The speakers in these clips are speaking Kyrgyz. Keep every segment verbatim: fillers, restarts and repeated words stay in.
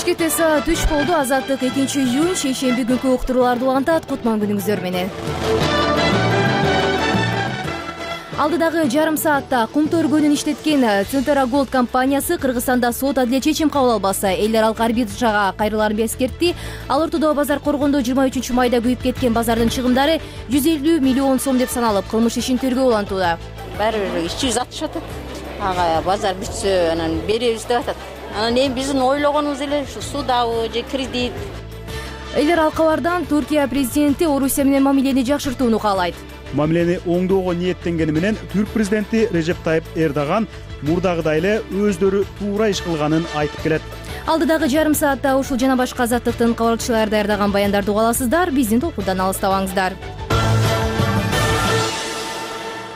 Бишкекте саат үч болду. Азаттык экинчи июнь шейшемби күнкү уктурууларды улантат. Кутман күнүңүздөр менен. Алдыдагы жарым саатта кумтөр көнүн иштеткен Центра Голд компаниясы Кыргызстанда сот адилет чечим кабыл албаса, эл аралык арбитражга кайрыларын эскертти. Ал ортодо базар коргондо жыйырма үчүнчү майда күйүп кеткен базардын чыгымдары жүз элүү миллион сом деп саналып, кылмыш ишин тергөө улантууда. Баары бир иш жүз атышат. Ага базар бүтсө, анан беребиз деп атат. Анан эми биздин ойлогонубуз эле ушу судабы же кредит. Эл аралык кабардан Туркия президенти Орусия менен мамилени жакшыртууну каалайт. Мамилени оңдоого ниеттенгени менен Түрк президенти Режеп Тайып Эрдоган мурдагыдай эле өздөрү туура иш кылганын айтып келет. Алдыдагы жарым саатта ушул жана башка азаттыктын кабарчылары даярдаган баяндарды уга аласыздар. Биздин толкундан алыстабаңыздар.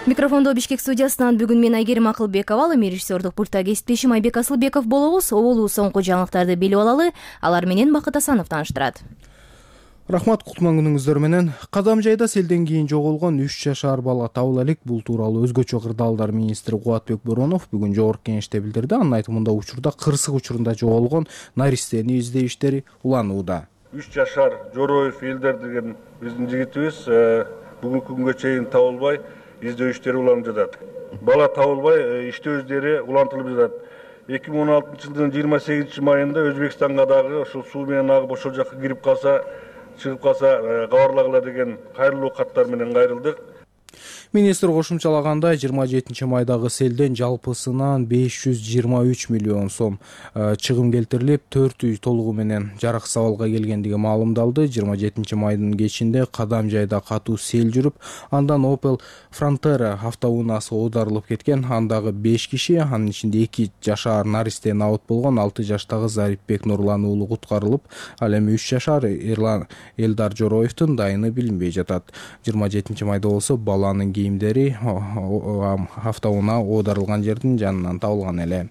Микрофондо Бишкек студиясынан бүгүн мен Айгерим Акылбекова, ал эми режиссердук пультта кесиптешим Айбек Асылбеков болобуз. Оболу соңку жаңылыктарды билип алалы. Алар менен Бакыт Асанов тааныштырат. Рахмат, кутман күнүңүздөр менен. Кадам жайда селден кийин жоголгон үч жашар бала табыла элек. Бул тууралуу өзгөчө кырдаалдар министри Кубатбек Боронов бүгүн жогорку кеңеште билдирди. Анын айтымында учурда кырсык учурунда жоголгон наристени издөө иштери уланууда. үч жашар Жороев Элдар деген биздин жигитибиз бүгүнкү күнгө чейин табылбай издөө иштери уланып жатат. Бала табылбай иштөө издери улантылып жатат. эки миң он алтынчы жылдын жыйырма сегизинчи майында Өзбекстанга дагы ошол суу менен агып ошол жакка кирип калса, чыгып калса кабарлагыла деген кайрылуу каттар менен кайрылдык. Министр кошумчалагандай, жыйырма жетинчи майдагы селден жалпысынан беш жүз жыйырма үч миллион сом чыгым келтирилип, төрт үй толугу менен жараксыз абалга келгендиги маалымдалды. жыйырма жетинчи майдын кечинде Кадам жайда катуу сел жүрүп, андан Opel Frontera автоунаасы оодарылып кеткен. Андагы беш киши, анын ичинде эки жашар наристен абот болгон алты жаштагы Зарипбек Нурлан уулу куткарылып, ал эми үч жашар Эрлан Элдар Жороевдун дайыны билинбей жатат. жыйырма жетинчи майда болсо баланын кийимдери автоунаа оодарылган жердин жанынан табылган эле.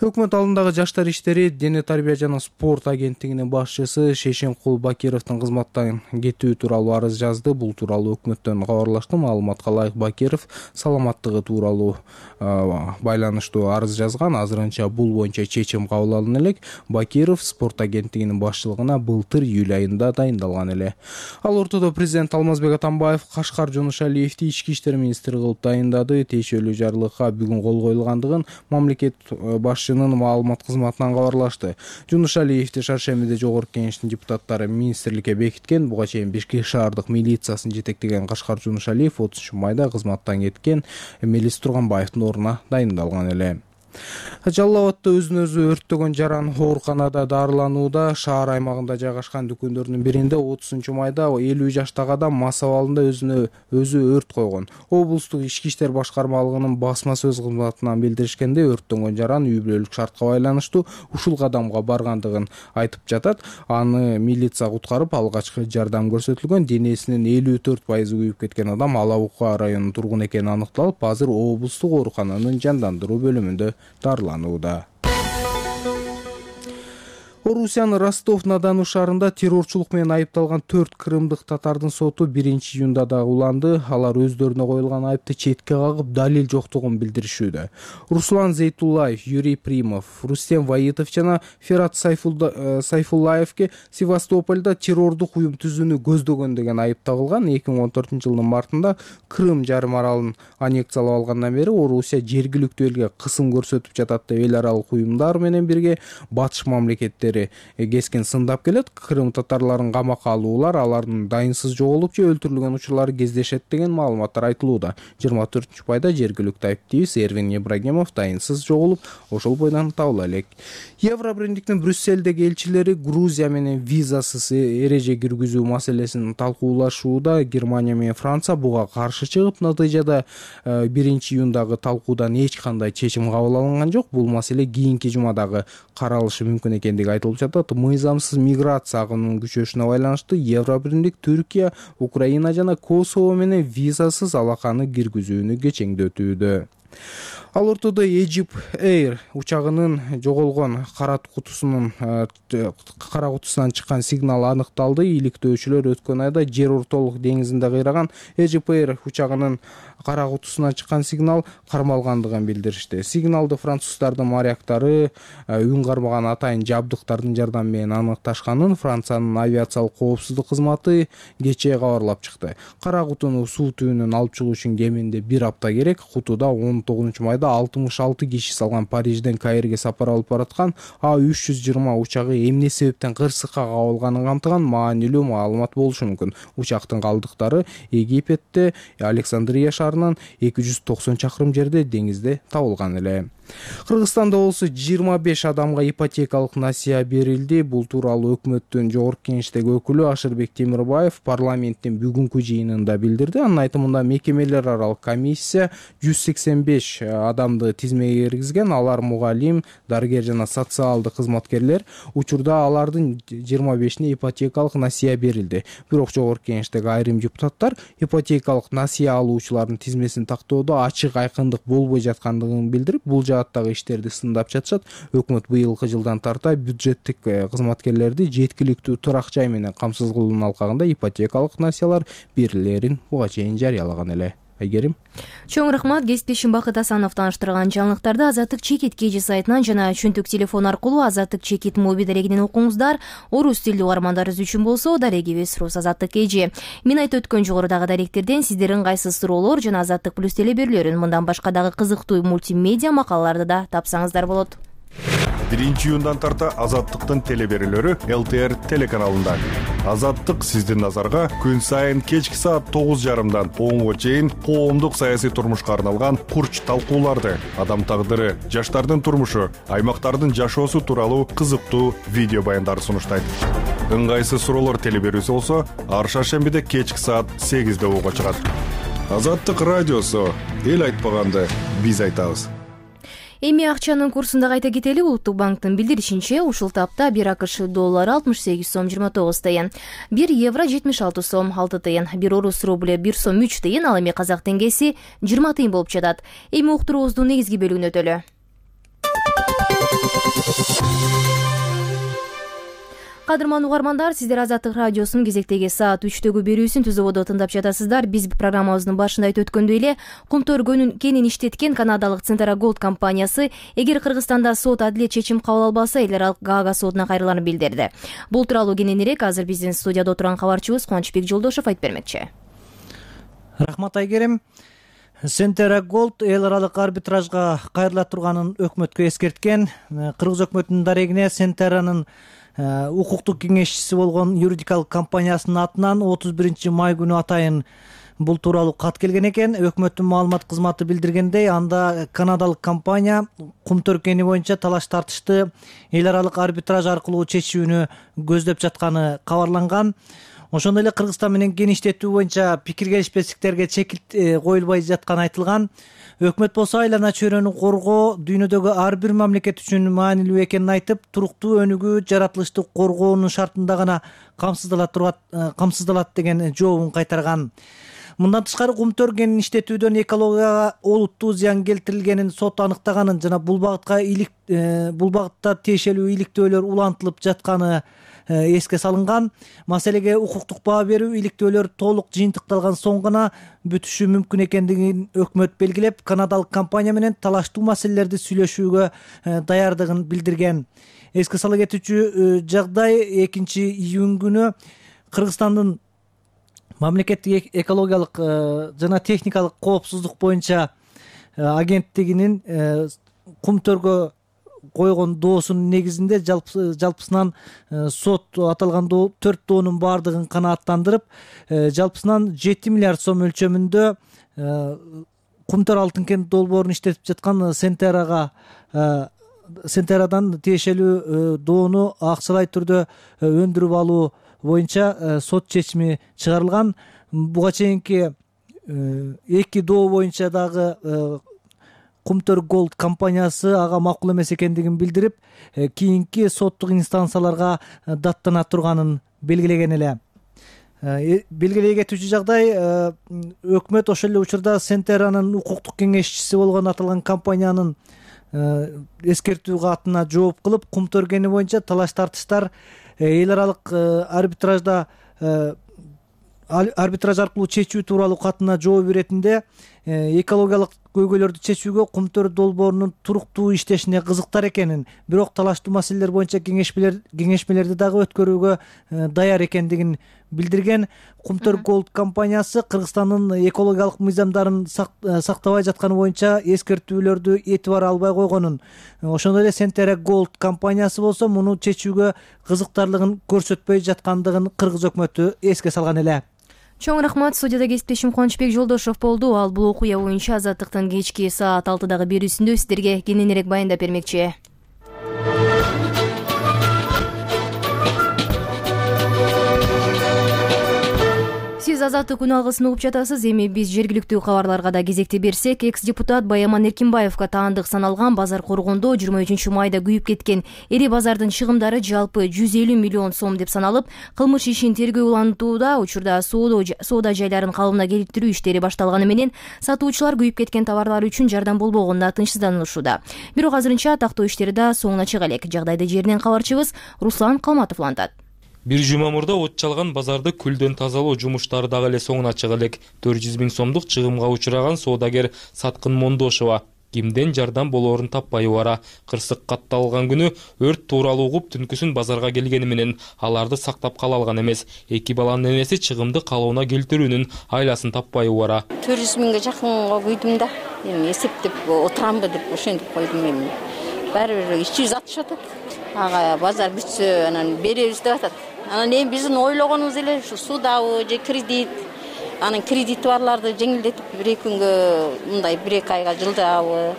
Өкмөт алдындагы жаштар иштери дене тарбия жана спорт агенттигинин башчысы Шейшенкул Бакировдун кызматтан кетүү тууралуу арыз жазды. Бул тууралуу өкмөттөн кабарлашты. Маалыматка ылайык, Бакиров саламаттыгы тууралуу байланыштуу арыз жазган. Азырынча бул боюнча чечим кабыл алына элек. Бакиров спорт агенттигинин башчылыгына былтыр июль айында дайындалган эле. Ал ортодо президент Алмазбек Атамбаев Кашкар Жонушалиевди ички иштер министри кылып дайындады. Тиешелүү жарлыкка бүгүн кол коюлгандыгын мамлекет башчынын маалымат кызматынан кабарлашты. Жунушалиевди шаршембиде жогорку кеңештин депутаттары министрликке бекиткен. Буга чейин Бишкек шаардык милициясын жетектеген Кашкар Жунушалиев отузунчу майда кызматтан кеткен Мелис Турганбаевдин ордуна дайындалган эле. Жалал Абадта өзүн өзү өрттөгөн жаран ооруканада дарыланууда. Шаар аймагында жайгашкан дүкөндөрдүн биринде отузунчу майда элүү жаштагы адам мас абалында өзүнө өзү өрт койгон. Облустук ички иштер башкармалыгынын басма сөз кызматынан билдиришкенде, өрттөнгөн жаран үй бүлөлүк шартка байланыштуу ушул кадамга баргандыгын айтып жатат. Аны милиция куткарып, алгачкы жардам көрсөтүлгөн. Денесинин элүү төрт пайызы күйүп кеткен адам Алабука районунун тургуну экени аныкталып, азыр облустук оорукананын жандандыруу бөлүмүндө дарыланууда. Орусиянын Ростов-на-Дону шаарында террорчулук менен айыпталган төрт крымдык татардын соту биринчи июнда дагы уланды. Алар өздөрүнө коюлган айыпты четке кагып, далил жоктугун билдиришүүдө. Руслан Зейтуллаев, Юрий Примов, Рустем Ваитов жана Ферат Сайфуллаевге Севастопольдо террордук уюм түзүүнү көздөгөн деген айып тагылган. эки миң он төртүнчү жылдын мартында Крым жарым аралын аннексиялап алгандан бери Орусия жергиликтүү элге кысым көрсөтүп жатат деп эл аралык уюмдар менен бирге батыш мамлекеттери кескен сындап келет. Крым татарларын камакка алуулар, алардын дайынсыз жоголуп же өлтүрүлгөн учурлары кездешет деген маалыматтар айтылууда. жыйырма төртүнчү майда жергиликтүү айыптыбыз Эрвин Ибрагимов дайынсыз жоголуп, ошол бойдон табыла элек. Евробиримдиктин Брюсселдеги элчилери Грузия менен визасыз эреже киргизүү маселесин талкуулашууда. Германия менен Франция буга каршы чыгып, натыйжада биринчи июндагы талкуудан эч кандай чечим кабыл алынган жок. Бул маселе кийинки жумадагы каралышы мүмкүн экендиги айтылып жатат. Мыйзамсыз миграция агымынын күчөшүнө байланыштуу Евробиримдик Түркия, Украина жана Косово менен визасыз алаканы киргизүүнү кечеңдетүүдө. Ал ортодо Egypt Air учагынын жоголгон кара кутусунун кара кутусунан чыккан сигнал аныкталды. Иликтөөчүлөр өткөн айда жер ортолук деңизинде кыйраган Egypt Air учагынын кара кутусунан чыккан сигнал кармалгандыгын билдиришти. Сигналды француздардын моряктары үн кармаган атайын жабдыктардын жардамы менен аныкташканын Франциянын авиациялык коопсуздук кызматы кечээ кабарлап чыкты. Кара кутуну суу түбүнөн алып чыгуу үчүн кеминде бир апта керек. Кутуда он тогузунчу майда алтымыш алты киши салган Парижден Каирге сапар алып бараткан А үч жүз жыйырма учагы эмне себептен кырсыкка кабылганын камтыган маанилүү маалымат болушу мүмкүн. Учактын калдыктары Египетте Александрия шаарынан эки жүз токсон чакырым жерде деңизде табылган эле. Кыргызстанда болсо жыйырма беш адамга ипотекалык насыя берилди. Бул тууралуу өкмөттүн жогорку кеңештеги өкүлү Ашырбек Темирбаев парламенттин бүгүнкү жыйынында билдирди. Анын айтымында мекемелер аралык комиссия жүз сексен беш адамды тизмеге киргизген. Алар мугалим, дарыгер жана социалдык кызматкерлер. Учурда алардын жыйырма бешине ипотекалык насыя берилди. Бирок жогорку кеңештеги айрым депутаттар ипотекалык насыя алуучулардын тизмесин тактоодо ачык айкындык болбой жаткандыгын билдирип, бул жааттагы иштерди сындап жатышат. Өкмөт быйылкы жылдан тарта бюджеттик кызматкерлерди жеткиликтүү турак жай менен камсыз кылуунун алкагында ипотекалык насыялар берилерин буга чейин жарыялаган эле. Айгерим. Чоң рахмат. Кесиптешим Бакыт Асанов тааныштырган жаңылыктарды Азаттык Чекит кж сайтынан жана чөнтүк телефон аркылуу Азаттык Чекит моби дарегинен окуңуздар. Орус тилдүү угармандарыбыз үчүн болсо дарегибиз Рус Азаттык кж. Мен айтып өткөн жогорудагы даректерден сиздердин кайсы суроолор жана Азаттык плюс теле берүүлөрүн, мындан башка дагы кызыктуу мультимедиа макалаларды да тапсаңыздар болот. биринчи июндан тарта Азаттыктын теле берүүлөрү Эл Т Р телеканалында. Азаттык сиздин назарга күн сайын кечки саат тогуз жарымдан онго чейин коомдук саясий турмушка арналган курч талкууларды, адам тагдыры, жаштардын турмушу, аймактардын жашоосу тууралуу кызыктуу видео баяндарды сунуштайт. Ыңгайсыз суроолор теле берүүсү болсо ар шаршембиде кечки саат сегизде угууга чыгат. Азаттык радиосу, эл айтпаганды биз айтабыз. Эми акчанын курсунда кайта кетели. Улуттук банктын билдиришинче, ушул тапта бир АКШ доллары алтымыш сегиз сом жыйырма тогуз тыйын, бир евро жетимиш алты сом алты тыйын, бир орус рубль бир сом үч тыйын, ал эми казак теңгеси жыйырма тыйын болуп жатат. Эми уктуруубуздун негизги бөлүгүнө өтөлү. Кадырман угармандар, сиздер Азаттык радиосунун кезектеги саат үчтөгү берүүсүн түз ободо тыңдап жатасыздар. Биз программабыздын башында айтып өткөндөй эле, Кумтөр кенин иштеткен канадалык Центра Голд компаниясы эгер Кыргызстанда сот адилет чечим кабыл албаса, эл аралык Гаага сотуна кайрыларын билдирди. Бул тууралуу кененирээк азыр биздин студияда отурган кабарчыбыз Кубанычбек Жолдошов айтып бермекчи. Рахмат Айгерим. Центра Голд эл аралык арбитражга кайрыла турганын өкмөткө эскерткен. Кыргыз өкмөтүнүн дарегине Центранын укуктук кеңешчиси болгон юридикалык компаниясынын атынан отуз биринчи май күнү атайын бул тууралуу кат келген экен. Өкмөттүн маалымат кызматы билдиргендей, анда канадалык компания Кумтөр кени боюнча талаш тартышты эл аралык арбитраж аркылуу чечүүнү көздөп жатканы кабарланган. Ошондой эле Кыргызстан менен кен иштетүү боюнча пикир келишпестиктерге чекит коюлбай жатканы айтылган. Өкмөт болсо айлана чөйрөнү коргоо дүйнөдөгү ар бир мамлекет үчүн маанилүү экенин айтып, туруктуу өнүгүү жаратылышты коргоонун шартында гана камсыздалат турат камсыздалат деген жообун кайтарган. Мындан тышкары Кумтөр кенин иштетүүдөн экологияга олуттуу зыян келтирилгенин сот аныктаганын жана бул багытка илик бул багытта тиешелүү иликтөөлөр улантылып жатканы эске салынган. Маселеге укуктук баа берүү, иликтөөлөр толук жыйынтыкталган соң гана бүтүшү мүмкүн экендигин өкмөт белгилеп, канадалык компания менен талаштуу маселелерди сүйлөшүүгө даярдыгын билдирген. Эске сала кетүүчү жагдай экинчи июнь күнү Кыргызстандын мамлекеттик экологиялык жана техникалык коопсуздук боюнча агенттигинин Кумтөргө койгон доосунун негизинде жалпысынан сот аталган төрт доонун баардыгын канааттандырып, жалпысынан жети миллиард сом өлчөмүндө Кумтөр алтын кен долбоорун иштетип жаткан Центрага Центрадан тиешелүү доону акчалай түрдө өндүрүп алуу боюнча сот чечими чыгарылган. Буга чейинки эки доо боюнча дагы Кумтөр Голд компаниясы ага макул эмес экендигин билдирип, кийинки соттук инстанцияларга даттана турганын белгилеген эле. белгилей кетүүчү жагдай, өкмөт ошол эле учурда Сентеранын укуктук кеңешчиси болгон аталган компаниянын эскертүү катына жооп кылып, кум төргени боюнча талаш тартыштар эл аралык арбитражда арбитраж аркылуу чечүү тууралуу катына жооп иретинде экологиялык көйгөйлөрдү чечүүгө кум төр долбоорунун туруктуу иштешине кызыктар экенин, бирок талаштуу маселелер боюнча кеңешмелер кеңешмелерди дагы өткөрүүгө даяр экендигин билдирген. Кум төр Голд компаниясы Кыргызстандын экологиялык мыйзамдарын сактабай жатканы боюнча эскертүүлөрдү этибар албай койгонун, ошондой эле Сентера Голд компаниясы болсо муну чечүүгө кызыктарлыгын көрсөтпөй жаткандыгын Кыргыз өкмөтү эске салган эле. Чоң рахмат. Студияда кесиптешим Кубанычбек Жолдошов болду. Ал бул окуя боюнча Азаттыктын кечки саат алтыдагы берүүсүндө сиздерге кененирээк баяндап бермекчи. Сиз Азаттык күн алгысын угуп жатасыз. Эми биз жергиликтүү кабарларга да кезекти берсек, экс-депутат Баяман Эркинбаевга таандык саналган базар коргондо жыйырма үчүнчү майда күйүп кеткен эри базардын чыгымдары жалпы жүз элүү миллион сом деп саналып, кылмыш ишин тергөө улантууда. Учурда соода жайларын калыбына келтирүү иштери башталганы менен сатуучулар күйүп кеткен товарлар үчүн жардам болбогонуна тынчсызданышууда. Бирок азырынча тактоо иштери да соңуна чыга элек. Жагдайды жеринен кабарчыбыз Руслан Калматов улантат. Бир жума мурда от чалган базарды күлдөн тазалоо жумуштары дагы эле соңуна чыга элек. төрт жүз миң сомдук чыгымга учураган соодагер Саткын Мондошова кимден жардам болоорун таппай убара. Кырсык катталган күнү өрт тууралуу угуп түнкүсүн базарга келгени менен аларды сактап кала алган эмес. Эки баланын энеси чыгымды калыбына келтирүүнүн айласын таппай убара. төрт жүз миңге жакынга күйдүм да. Эми эсептеп отурамбы деп ошентип койдум эми. Баары бир үч жүз алтымыш атат. Ага базар бүтсө анан беребиз деп атат. Анан эми биздин ойлогонубуз эле ушу судабы же кредит, анан кредити барларды жеңилдетип бир эки күнгө мындай бир эки айга жылдабы,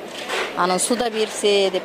анан суда берсе деп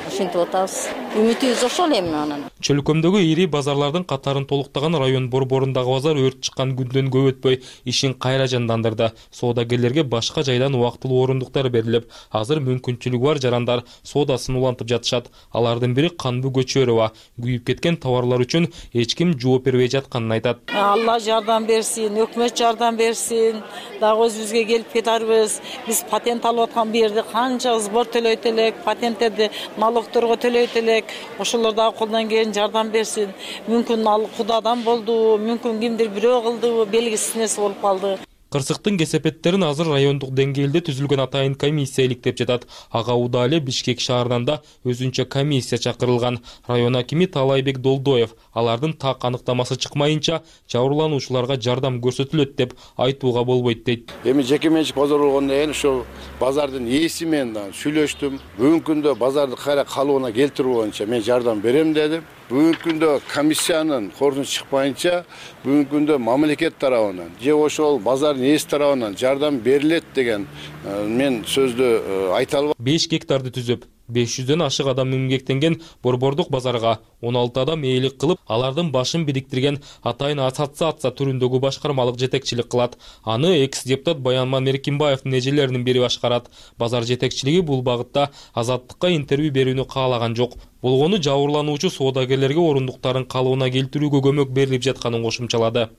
ошентип атабыз. Үмүтүбүз ошол эми анан. Чөлкөмдөгү ири базарлардын катарын толуктаган район борборундагы базар өрт чыккан күндөн көп өтпөй ишин кайра жандандырды. Соодагерлерге башка жайдан убактылуу орундуктар берилип, азыр мүмкүнчүлүгү бар жарандар соодасын улантып жатышат. Алардын бири Канбу Көчөрова күйүп кеткен товарлар үчүн эч ким жооп бербей жатканын айтат. Алла жардам берсин, өкмөт жардам берсин. Дагы өзүбүзгө келип кетарбыз. Биз патент алып аткан бу жерде канча сбор төлөйт элек, патенттерди налогторго төлөйт элек. Ошолор дагы колдон келген жардам берсин. Мүмкүн ал Кудадан болду, мүмкүн кимдир бирөө кылды, белгисиз нерсе болуп калды. Кырсыктын кесепеттерин азыр райондук деңгээлде түзүлгөн атайын комиссия иликтеп жатат. Ага Уда эле Бишкек шаарынан да өзүнчө комиссия чакырылган. Район акими Талайбек Долдоев алардын так аныктамасы чыкмайынча жабырлануучуларга жардам көрсөтүлөт деп айтууга болбойт дейт. Эми жеке менчик базар болгондон кийин ошол базардын ээси менен сүйлөштүм. Бүгүнкү күндө базарды кайра калыбына келтирүү боюнча мен жардам берем дедим. Бүгүнкү күндө комиссиянын корутундусу чыкпайынча бүгүнкү күндө мамлекет тарабынан же ошол базардын ээси тарабынан жардам берилет деген мен сөздү айта албайм. беш гектарды түзүп беш жүздөн ашык адам эмгектенген борбордук базарга он алты адам ээлик кылып, алардын башын бириктирген атайын ассоциация түрүндөгү башкармалык жетекчилик кылат. Аны экс-депутат Баяман Эркинбаевдин эжелеринин бири башкарат. Базар жетекчилиги бул багытта Азаттыкка интервью берүүнү каалаган жок. Болгону жабырлануучу соодагерлерге орундуктарын калыбына келтирүүгө көмөк берилип жатканын кошумчалады.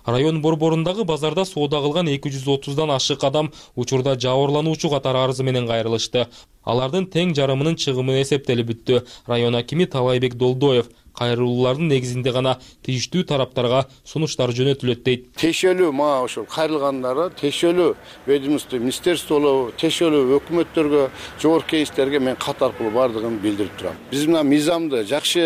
Район борборундагы базарда соода кылган эки жүз отуздан ашык адам учурда жабырлануучу катары арызы менен кайрылышты. Алардын тең жарымынын чыгымы эсептелип бүттү. Район акими Талайбек Долдоев кайрылуулардын негизинде гана тийиштүү тараптарга сунуштар жөнөтүлөт дейт. Тиешелүү мага ошол кайрылгандары тиешелүү ведомство, министерстволорго, тиешелүү өкмөттөргө, жогорку кеңештерге мен кат аркылуу бардыгын билдирип турам. Биз мына мыйзамды жакшы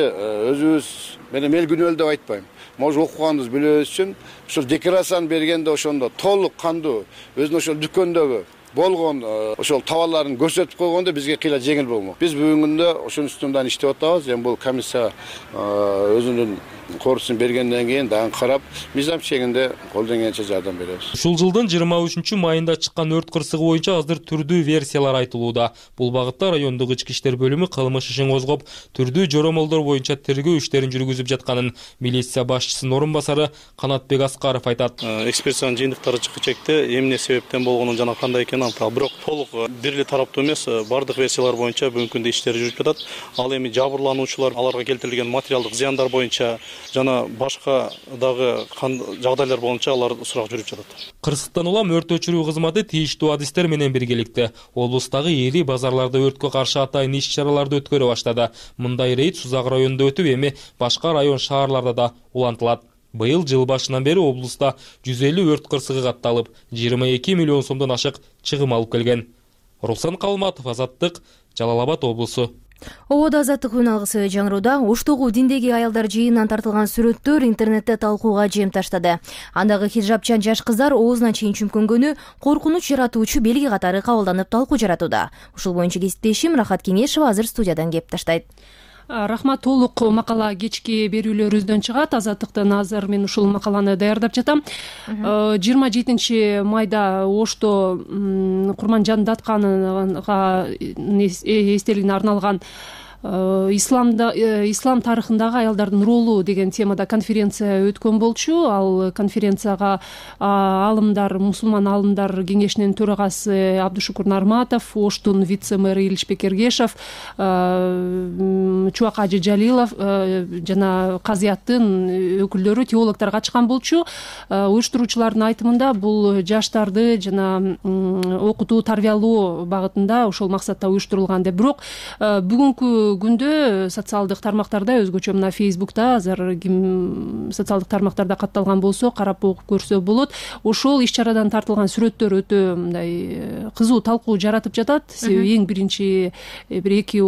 өзүбүз менен эл күнөөлүү деп айтпайм. Может окуганыбыз билебиз үчүн ошол декларацияны бергенде ошондо толук кандуу өзүнүн ошол дүкөндөгү болгон ошол товарларын көрсөтүп койгондо бизге кыйла жеңил болмок. Биз бүгүнкү күндө ошонун үстүндөн иштеп атабыз. Эми бул комиссия өзүнүн корусун бергенден кийин дагы карап, мыйзам чегинде колдон келгенче жардам беребиз. Ушул жылдын жыйырма үчүнчү майында чыккан өрт кырсыгы боюнча азыр түрдүү версиялар айтылууда. Бул багытта райондук ички иштер бөлүмү кылмыш ишин козгоп, түрдүү жоромолдор боюнча тергөө иштерин жүргүзүп жатканын милиция башчысынын орун басары Канатбек Аскаров айтат. Экспертизанын жыйынтыктары чыккычекте эмне себептен болгонун жана кандай экенин тарабынан, бирок толук бир эле тараптуу эмес, бардык версиялар боюнча бүгүнкү күндө иштер жүрүп жатат. Ал эми жабырлануучулар, аларга келтирилген материалдык зыяндар боюнча жана башка дагы жагдайлар боюнча алар сурак жүрүп жатат. Кырсыктан улам өрт өчүрүү кызматы тийиштүү адистер менен биргеликте облустагы ири базарларда өрткө каршы атайын иш-чараларды өткөрө баштады. Мындай рейд Сузак районунда өтүп, эми башка район шаарларда да улантылат. Быйыл жыл башынан бери облуста жүз элүү өрт кырсыгы катталып, жыйырма эки миллион сомдон ашык чыгым алып келген. Руслан Калматов, Азаттык, Жалал Абад облусу. Ободо Азаттык үн алгысы жаңырууда. Оштогу диндеги аялдар жыйынынан тартылган сүрөттөр интернетте талкууга жем таштады. Андагы хиджабчан жаш кыздар оозуна чейин чүмкөнгөнү коркунуч жаратуучу белги катары кабылданып талкуу жаратууда. Ушул боюнча кесиптешим Рахат Кеңешова азыр студиядан кеп таштайт. Рахмат, толук макала кечки берүүлөрүбүздөн чыгат. Азаттыктан азыр мен ушул макаланы даярдап жатам. жыйырма жетинчи майда Ошто Курманжан Датканга эстелигине арналган исламда ислам тарыхындагы аялдардын ролу деген темада конференция өткөн болчу. Ал конференцияга алымдар, мусулман алымдар кеңешинин төрагасы Абдушукур Нарматов, Оштун вице-мэры Иличбек Эргешев, Чубак Ажы Жалилов жана казыяттын өкүлдөрү, теологдор катышкан болчу. Уюштуруучулардын айтымында бул жаштарды жана окутуу, тарбиялоо багытында ошол максатта уюштурулган деп. Бирок бүгүнкү күндө социалдык тармактарда, өзгөчө мына Фейсбукта, азыр ким социалдык тармактарда катталган болсо, карап окуп көрсө болот. Ошол иш-чарадан тартылган сүрөттөр өтө мындай кызуу талкуу жаратып жатат. Себеби эң биринчи бир эки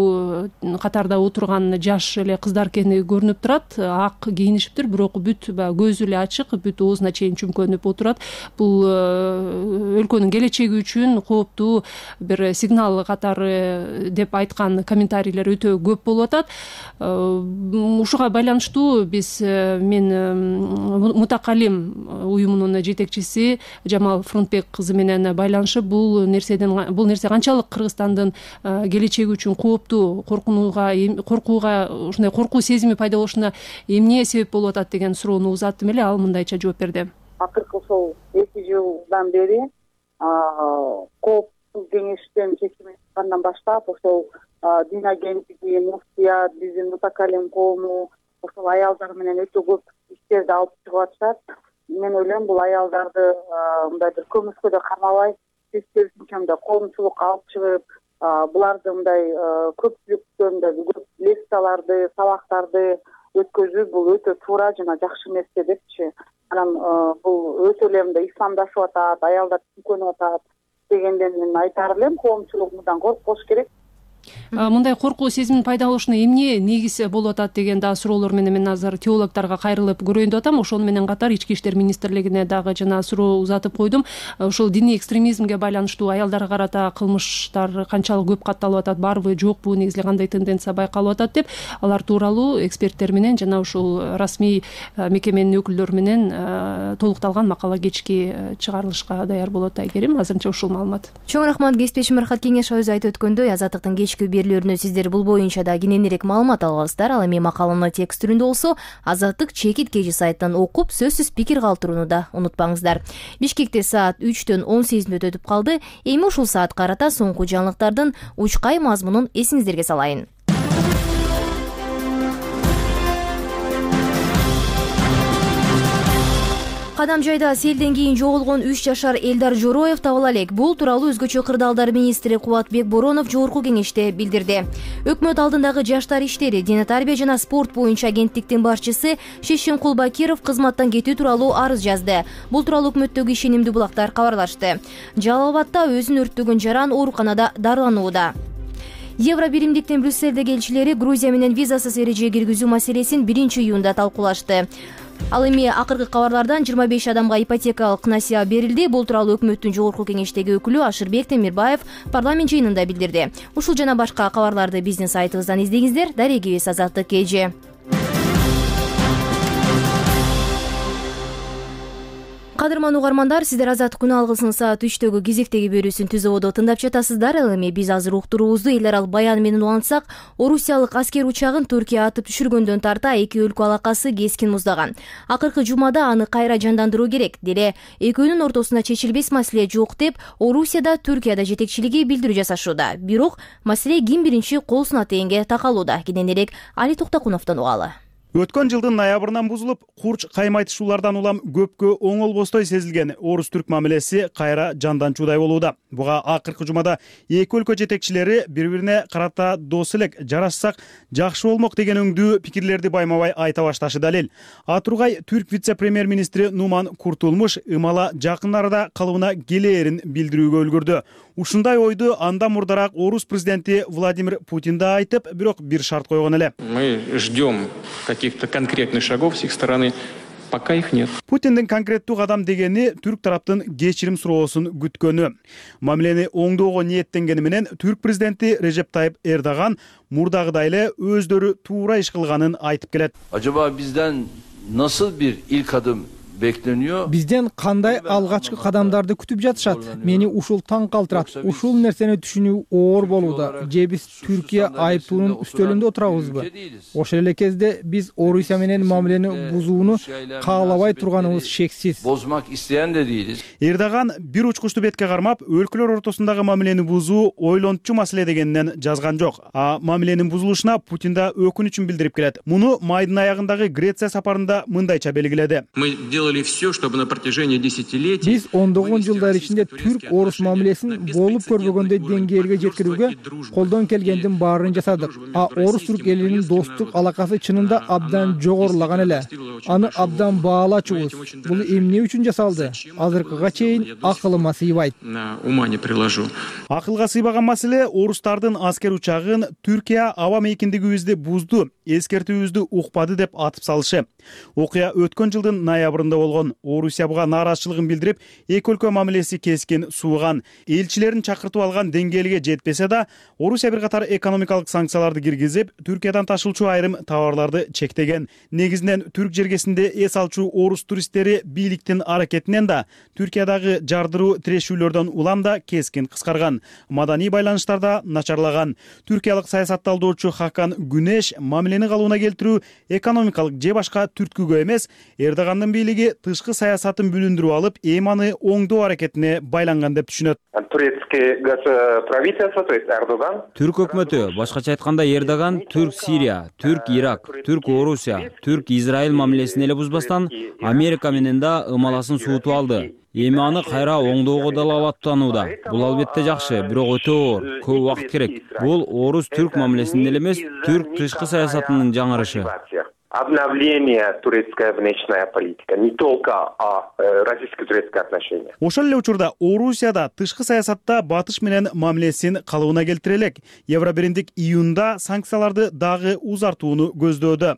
катарда отурган жаш эле кыздар экени көрүнүп турат. Ак кийинишиптир, бирок бүт көзү эле ачык, бүт оозуна чейин чүмкөнүп отурат. Бул өлкөнүн келечеги үчүн кооптуу бир сигнал катары деп айткан комментарийлер өтө көп болуп атат. Ушуга байланыштуу биз мен Мутакалим уюмунун жетекчиси Жамал Фронтбек кызы менен байланышып, бул нерседен бул нерсе канчалык Кыргызстандын келечеги үчүн кооптуу, коркунууга, коркууга, ушундай коркуу сезими пайда болушуна эмне себеп болуп атат деген суроону узаттым эле. Ал мындайча жооп берди. Акыркы ошол эки жылдан бери коопсуз кеңештен чечим чыккандан баштап ошол дин агенттиги, муфтият, биздин Мутакалим коому ошол аялдар менен өтө көп иштерди алып чыгып атышат. Мен ойлойм, бул аялдарды мындай бир көмүскөдө кармабай, керисинче мындай коомчулукка алып чыгып, буларды мындай көпчүлүктөн көп лекцияларды, сабактарды өткөзүү бул өтө туура жана жакшы нерсе депчи. Анан бул өтө эле мындай исламдашып атат, аялдар чүмкөнүп атат дегенден мен айтар элем, коомчулук мындан коркпош керек. Мындай коркуу сезимин пайда болушуна эмне негиз болуп атат деген да суроолор менен мен азыр теологдорго кайрылып көрөйүн деп атам. Ошону менен катар Ички иштер министрлигине дагы жана суроо узатып койдум. Ошол диний экстремизмге байланыштуу аялдарга карата кылмыштар канчалык көп катталып атат, барбы, жокпу, негизи кандай тенденция байкалып атат деп, алар тууралуу эксперттер менен жана ушул расмий мекеменин өкүлдөрү менен толукталган макала кечки чыгарылышка даяр болот. Айгерим, азырынча ушул маалымат. Чоң рахмат. Кесиптешим Рахат Кеңешова өзү айтып өткөндөй, Азаттыктын кечки берүүлөрүнө сиздер бул боюнча да кененирээк маалымат алабыздар. Ал эми макаланы текст түрүндө болсо Азаттык чекит кежи сайттан окуп, сөзсүз пикир калтырууну да унутпаңыздар. Бишкекте саат үчтөн он сегиз мүнөт өтүп калды. Эми ушул саат карата соңку жаңылыктардын учкай мазмунун эсиңиздерге салайын. Кадамжайда селден кийин жоголгон үч жашар Элдар Жороев табыла элек. Бул тууралуу өзгөчө кырдаалдар министри Кубатбек Боронов жогорку кеңеште билдирди. Өкмөт алдындагы жаштар иштери, дене тарбия жана спорт боюнча агенттиктин башчысы Шешинкул Бакиров кызматтан кетүү тууралуу арыз жазды. Бул тууралуу өкмөттөгү ишенимдүү булактар кабарлашты. Жалал Абадда өзүн өрттөгөн жаран ооруканада дарыланууда. Евро биримдиктин Брюссельдеги элчилери Грузия менен визасыз эреже киргизүү маселесин биринчи июнда талкуулашты. Ал эми акыркы кабарлардан жыйырма беш адамга ипотекалык насыя берилди. Бул тууралуу өкмөттүн жогорку кеңештеги өкүлү Ашырбек Темирбаев парламент жыйынында билдирди. Ушул жана башка кабарларды биздин сайтыбыздан издеңиздер. Дарегибиз Азаттык кей жи. Кадырман угармандар, сиздер Азаттык күн алгысынын саат үчтөгү кезектеги берүүсүн түз ободо тыңдап жатасыздар. Ал эми биз азыр уктуруубузду эл аралык баян менен улантсак, Орусиялык аскер учагын Түркия атып түшүргөндөн тарта эки өлкө алакасы кескин муздаган. Акыркы жумада аны кайра жандандыруу керек. Деле экөөнүн ортосунда чечилбес маселе жок деп Орусияда, Түркияда жетекчилиги билдирүү жасашууда. Бирок маселе ким биринчи кол сунат дегенге такалууда. Кененирээк Али Токтокуновдон угалы. Өткөн жылдын ноябрынан бузулуп, курч каймайтышуулардан улам көпкө оңолбостой сезилген орус-түрк мамилеси кайра жанданчуудай болууда. Буга акыркы жумада эки өлкө жетекчилери бири-бирине карата дос элек, жарашсак жакшы болмок деген өңдүү пикирлерди байма-бай айта башташы далил. Атургай түрк вице-премьер-министри Нуман Куртулмуш ымала жакын арада калыбына келээрин билдирүүгө үлгүрдү. Ушундай ойду андан мурдараак орус президенти Владимир Путин да айтып, бирок бир шарт койгон эле. Мы ждем каких-то конкретных шагов с их стороны, пока их нет. Путиндин конкреттүү кадам дегени түрк тараптын кечирим суроосун күткөнү. Мамилени оңдоого ниеттенгени менен түрк президенти Режеп Тайып Эрдоган мурдагыдай эле өздөрү туура иш кылганын айтып келет. Acaba bizden nasıl bir ilk adım bekleniyor? Бизден кандай алгачкы кадамдарды күтүп жатышат? Мени ушул таң калтырат. Ушул нерсени түшүнүү оор болууда. Же биз Түркия айыптуунун үстөлүндө отурабызбы? Ошол эле кезде биз Орусия менен мамилени бузууну каалабай турганыбыз шексиз. Bozmak isteyen de değiliz. Эрдоган бир учкучтуу бетке кармап, өлкөлөр ортосундагы мамилени бузуу ойлончу маселе дегенинен жазган жок. А мамиленин бузулушуна Путин да өкүнүчүн билдирип келет. Муну майдын аягындагы Греция сапарында мындайча белгиледи. Биз ондогон жылдар ичинде түрк-орус мамилесин болуп көрбөгөндөй деңгээлге жеткирүүгө колдон келгендин баарын жасадык. А орус-түрк элинин достук алакасы чынында абдан жогорулаган эле. Аны абдан баалачубуз. Бул эмне үчүн жасалды? Азыркыга чейин акылыма сыйбайт. Акылга сыйбаган маселе орустардын аскер учагын Түркия аба мейкиндигибизди бузду, эскертүүбүздү укпады деп атып салышы. Окуя өткөн жылдын ноябрында болгон. Орусия буга нааразычылыгын билдирип, эки өлкө мамилеси кескин сууган. Элчилерин чакыртып алган деңгээлге жетпесе да, Орусия бир катар экономикалык санкцияларды киргизип, Түркиядан ташылчу айрым товарларды чектеген. Негизинен түрк жергесинде эс алчу орус туристтери бийликтин аракетинен да, Түркиядагы жардыруу тирешүүлөрдөн улам да кескин кыскарган. Маданий байланыштарда начарлаган. Түркиялык саясатталдоочу Хакан Күнеш мамилени калыбына келтирүү экономикалык же башка түрткүгө эмес, Эрдогандын бийлиги тышкы саясатын бүлүндүрүп алып, эми аны оңдоо аракетине байланган деп түшүнөт. Түрк өкмөтү, башкача айтканда Эрдоган, түрк Сирия, түрк Ирак, түрк Орусия, түрк Израиль мамилесин эле бузбастан Америка менен да ымаласын суутуп алды. Эми аны кайра оңдоого дала аттанууда. Бул албетте жакшы, бирок өтө оор, көп убакыт керек. Бул орус-түрк мамилесинин эле эмес, түрк тышкы саясатынын жаңырышы. Обновление турецкая внешняя политика, не только о российско-турецких отношениях. Ошол эле учурда Орусияда тышкы саясатта батыш менен мамилесин калыбына келтире элек. Евробиримдик июнда санкцияларды дагы узартууну көздөөдө.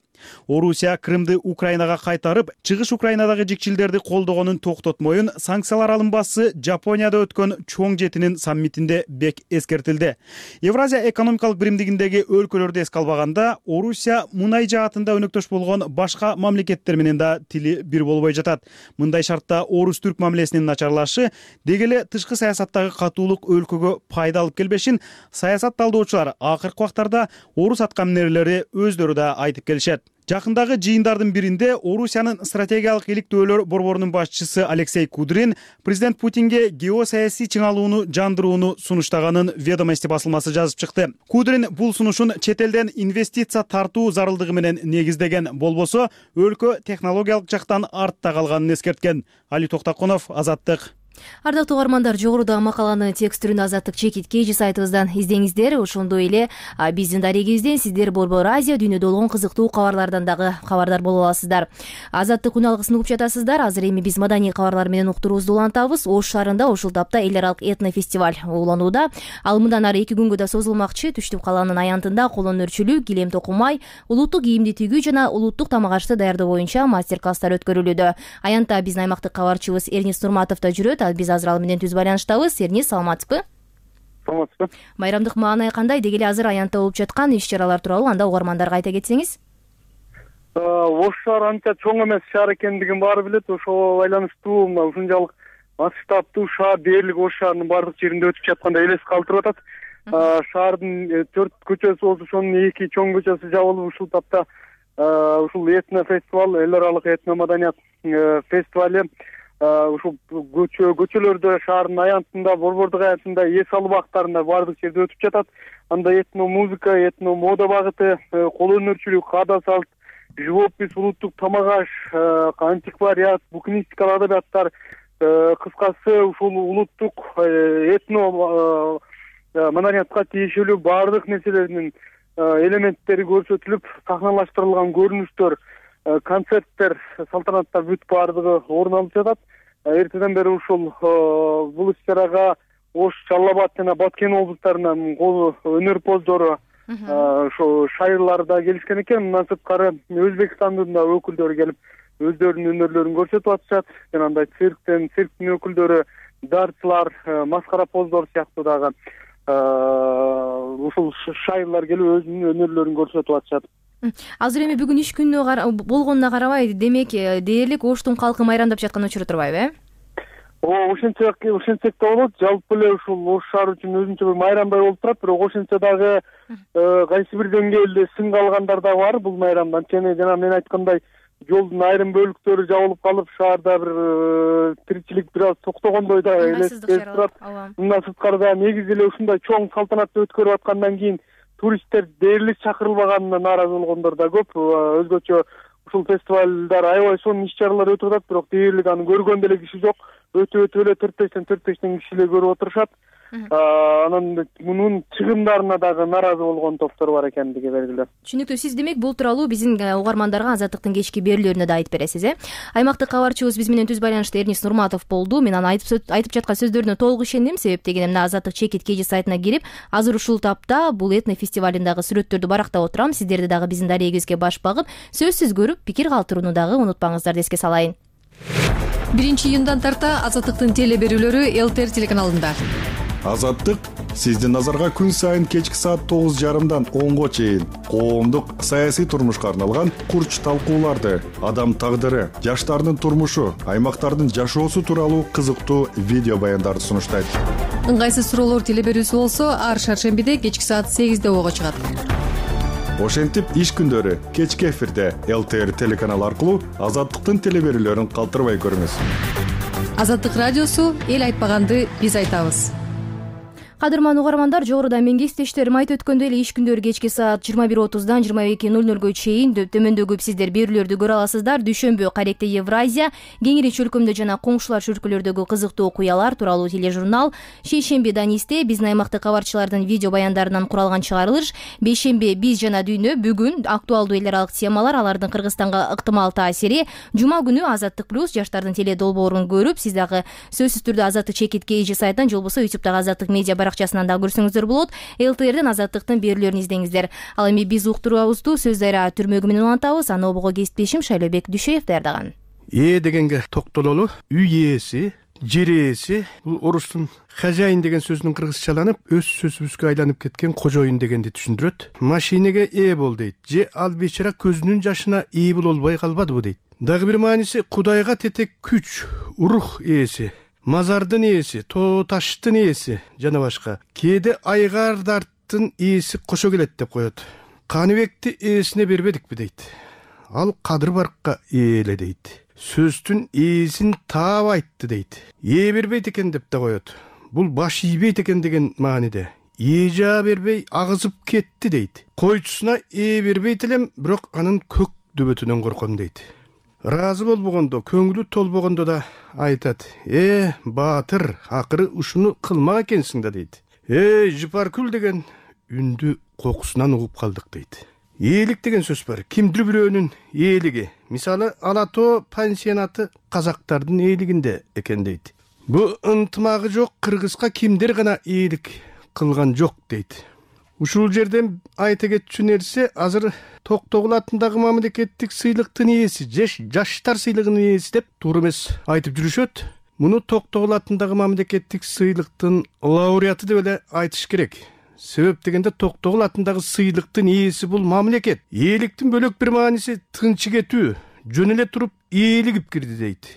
Орусия Крымды Украинага кайтарып, чыгыш Украинадагы жикчилдерди колдогонун токтотмоюн санкциялар алынбасы Жапонияда өткөн чоң жетинин саммитинде бек эскертилди. Евразия экономикалык биримдигиндеги өлкөлөрдү эске албаганда, Орусия мунай жаатында өнөктөш болгон башка мамлекеттер менен да тили бир болбой жатат. Мындай шартта орус-түрк мамилесинин начарлашы дегеле тышкы саясаттагы катуулук өлкөгө пайда алып келбешин саясатталдоочулар акыркы убактарда орус аткаминерлери өздөрү да айтып келишет. Жакындагы жыйындардын биринде Орусиянын стратегиялык иликтөөлөр борборунун башчысы Алексей Кудрин президент Путинге геосаясий чыңалууну жандырууну сунуштаганын Ведомости басылмасы жазып чыкты. Кудрин бул сунушун чет элден инвестиция тартуу зарылдыгы менен негиздеген, болбосо өлкө технологиялык жактан артта калганын эскерткен. Али Токтокунов, Азаттык. Ардактуу угармандар, жогоруда макаланы текст түрүндө Азаттык чекит кей сайтыбыздан издеңиздер. Ошондой эле биздин дарегибизден сиздер Борбор Азия дүйнөдө болгон кызыктуу кабарлардан дагы кабардар боло аласыздар. Азаттык күн алгысын угуп жатасыздар. Азыр эми биз маданий кабарлар менен уктуруубузду улантабыз. Ош шаарында ушул тапта эл аралык этнофестиваль уланууда. Ал мындан ары эки күнгө да созулмакчы. Түштүк калаанын аянтында кол өнөрчүлүк, килем токумай, улуттук кийимди тигүү жана улуттук тамак ашты даярдоо боюнча мастер-класстар өткөрүлүүдө. Аянтта биздин аймактык кабарчыбыз Эрнис Нурматов да жүрөт. Биз азыр ал менен түз байланыштабыз. Эрнис, саламатсызбы? Саламатсызбы. Майрамдык маанай кандай? Дегеле азыр аянтта болуп жаткан иш-чаралар тууралуу анда угармандарга айта кетсеңиз. Ош шаар анча чоң эмес шаар экендигин баары билет. Ошого байланыштуу мына ушунчалык масштабдуу шаар дээрлик Ош шаарынын баардык жеринде өтүп жаткандай элес калтырып атат. Шаардын төрт көчөсү болсо ошонун эки чоң көчөсү жабылып ушул тапта ушул этно фестиваль, эл аралык этно маданият фестивали ушул көчө көчөлөрдө шаардын аянтында, борбордук аянтында, эс алуу бактарында баардык жерде өтүп жатат. Анда этно музыка, этно мода багыты, кол өнөрчүлүк, каада салт, живопись, улуттук тамак аш, антиквариат, букинистикалык адабияттар, кыскасы ушул улуттук этно маданиятка тиешелүү баардык нерселердин элементтери көрсөтүлүп, сахналаштырылган көрүнүштөр, концерттер, салтанаттар бүт баардыгы орун алып жатат. Эртеден бери ушул бул иш-чарага Ош, Жалал Абад жана Баткен облустарынан өнөрпоздору, ошо шайырлар да келишкен экен. Мындан сырткары Өзбекстандын да өкүлдөрү келип өздөрүнүн өнөрлөрүн көрсөтүп атышат. Жанагындай цирктен, цирктин өкүлдөрү, дартчылар, маскаропоздор сыяктуу дагы ушул шайырлар келип өзүнүн өнөрлөрүн көрсөтүп атышат. Азыр эми бүгүн иш күнү болгонуна карабай, демек дээрлик Оштун калкы майрамдап жаткан учуру турбайбы, э? Ооба, ошентсек ошентсек да болот. Жалпы эле ушул Ош шаары үчүн өзүнчө бир майрамдай болуп турат, бирок ошентсе дагы кайсы бир деңгээлде сынга алгандар да бар бул майрамдан. Анткени жана мен айткандай, жолдун айрым бөлүктөрү жабылып калып, шаарда бир тиричилик бир аз токтогондой да элестетип турат. Мындан сырткары да негизи эле ушундай чоң салтанатты өткөрүп аткандан кийин туристтер дээрлик чакырылбаганына нааразы болгондор да көп. Өзгөчө ушул фестивалдар аябай сонун иш-чаралар өтүп атат, бирок дээрлик аны көргөн деле киши жок. Өтө өтө эле төрт бештен төрт бештен кишилер көрүп отурушат. Анан мунун чыгымдарына дагы нааразы болгон топтор бар экендиги белгилүү. Түшүнүктүү. Сиз демек бул тууралуу биздин угармандарга Азаттыктын кечки берүүлөрүндө да айтып бересиз, э? Аймактык кабарчыбыз биз менен түз байланышта Эрнис Нурматов болду. Мен анын айтып айтып жаткан сөздөрүнө толук ишендим, себеп дегенде мына Азаттык чекит кеже сайтына кирип, азыр ушул тапта бул этно фестивалындагы сүрөттөрдү барактап отурам. Сиздерди дагы биздин дарегибизге баш багып, сөзсүз көрүп, пикир калтырууну дагы унутпаңыздар деске салайын. биринчи июндан тарта Азаттыктын теле берүүлөрү ЛТР телеканалында. Азаттык сиздин назарга күн сайын кечки саат тогуз жарымдан онго чейин коомдук саясий турмушка арналган курч талкууларды, адам тагдыры, жаштардын турмушу, аймактардын жашоосу тууралуу кызыктуу видео баяндарды сунуштайт. Ыңгайсыз суроолор теле берүүсү болсо, ар шаршембиде кечки саат сегизде ого чыгат. Ошентип иш күндөрү кечки эфирде ЛТР телеканалы аркылуу Азаттыктын теле берүүлөрүн калтырбай көрүңүз. Азаттык радиосу эл айтпаганды биз айтабыз. Кадырман угармандар, жогоруда менин кесиптештерим айтып өткөндөй эле иш күндөрү кечки саат жыйырма бир отуздан жыйырма эки ноль нолго чейин төмөндөгү сиздер берүүлөрдү көрө аласыздар. Дүйшөмбү Каректе Евразия, Кеңири чөлкөмдө жана коңшулар чөлкөлөрдөгү кызыктуу окуялар тууралуу тележурнал, Шейшемби Данисте биздин аймактык кабарчылардын видео баяндарынан куралган чыгарылыш, Бейшемби Биз жана дүйнө, бүгүн актуалдуу эл аралык темалар, алардын Кыргызстанга ыктымал таасири, жума күнү Азаттык плюс жаштардын теле долбоорун көрүп, сиз дагы сөзсүз түрдө Азаттык чекит кеже сайтынан же болбосо ютубтагы Азаттык медиа баракчасынан да көрсөңүздөр болот. ЛТРден Азаттыктын берүүлөрүн издеңиздер. Ал эми биз уктуруубузду сөз дайра түрмөгү менен улантабыз. Аны обого кесиптешим Шайлообек Дүйшөев даярдаган. Ээ дегенге токтололу. Үй ээси, жер ээси, бул орустун хозяин деген сөзүнүн кыргызчаланып, өз сөзүбүзгө айланып кеткен кожоюн дегенди түшүндүрөт. Машинеге ээ бол дейт. Же ал бечара көзүнүн жашына ээ боло албай калбадыбы дейт. Дагы бир мааниси Кудайга тетек күч, рух ээси, мазардын ээси, тоо таштын ээси жана башка. Кээде айгардардын ээси кошо келет деп коет. Каныбекти ээсине бербедикпи дейт. Ал Кадыр Баркка ээле дейт. Сөздүн ээсин таап айтты дейт. Ээ бербейт экен деп да коет. Бул баш ийбейт экен деген мааниде. Ээ жаа бербей агызып кетти дейт. Койчусуна ээ бербейт элем, бирок анын көк дөбөтүнөн корком дейт. Разы болбогондо, көңүлү толбогондо да айтат. Э, баатыр, акыры ушуну кылмак экенсиң да дейт. Э, Жыпаркүл деген үндү кокусунан угуп калдык дейт. Ээлик деген сөз бар. Кимдир бирөөнүн ээлиги. Мисалы, Алатоо пансионаты казактардын ээлигинде экен дейт. Бу ынтымагы жок кыргызга кимдир гана ээлик кылган жок дейт. Ушул жерден айта кетчү нерсе, азыр Токтогул атындагы мамлекеттик сыйлыктын ээси, жаштар сыйлыгынын ээси деп туура эмес айтып жүрүшөт. Муну Токтогул атындагы мамлекеттик сыйлыктын лауреаты деп эле айтыш керек. себеп дегенде Токтогул атындагы сыйлыктын ээси бул мамлекет. Ээликтин бөлөк бир мааниси тынчы кетүү, жөн эле туруп ээлигип кирди дейт.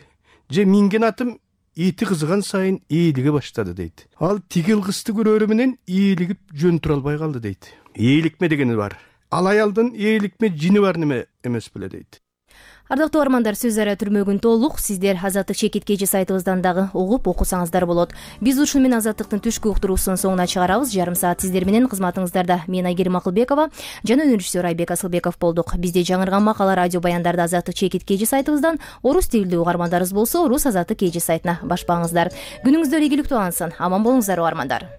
Же минген атым эти кызыган сайын ээлиге баштады дейт. Ал тигил кызды көрөрү менен ээлигип жөн тура албай калды дейт. Ээликме дегени бар. Ал аялдын ээликме жини бар неме эмес беле дейт. Ардактуу армандар, сөз ара түрмөгүн толук сиздер Азаттык чекит кежи сайтыбыздан дагы угуп окусаңыздар болот. Биз ушуну менен Азаттыктын түшкү уктуруусунун соңуна чыгарабыз. Жарым саат сиздер менен кызматыңыздарда мен Айгерим Акылбекова жана режиссер Айбек Асылбеков болдук. Бизде жаңырган макала радио баяндарды Азаттык чекит кежи сайтыбыздан, орус тилдүү угармандарыбыз болсо орус Азаттык кежи сайтына башпаңыздар. Күнүңүздөр ийгиликтүү алынсын. Аман болуңуздар угармандар.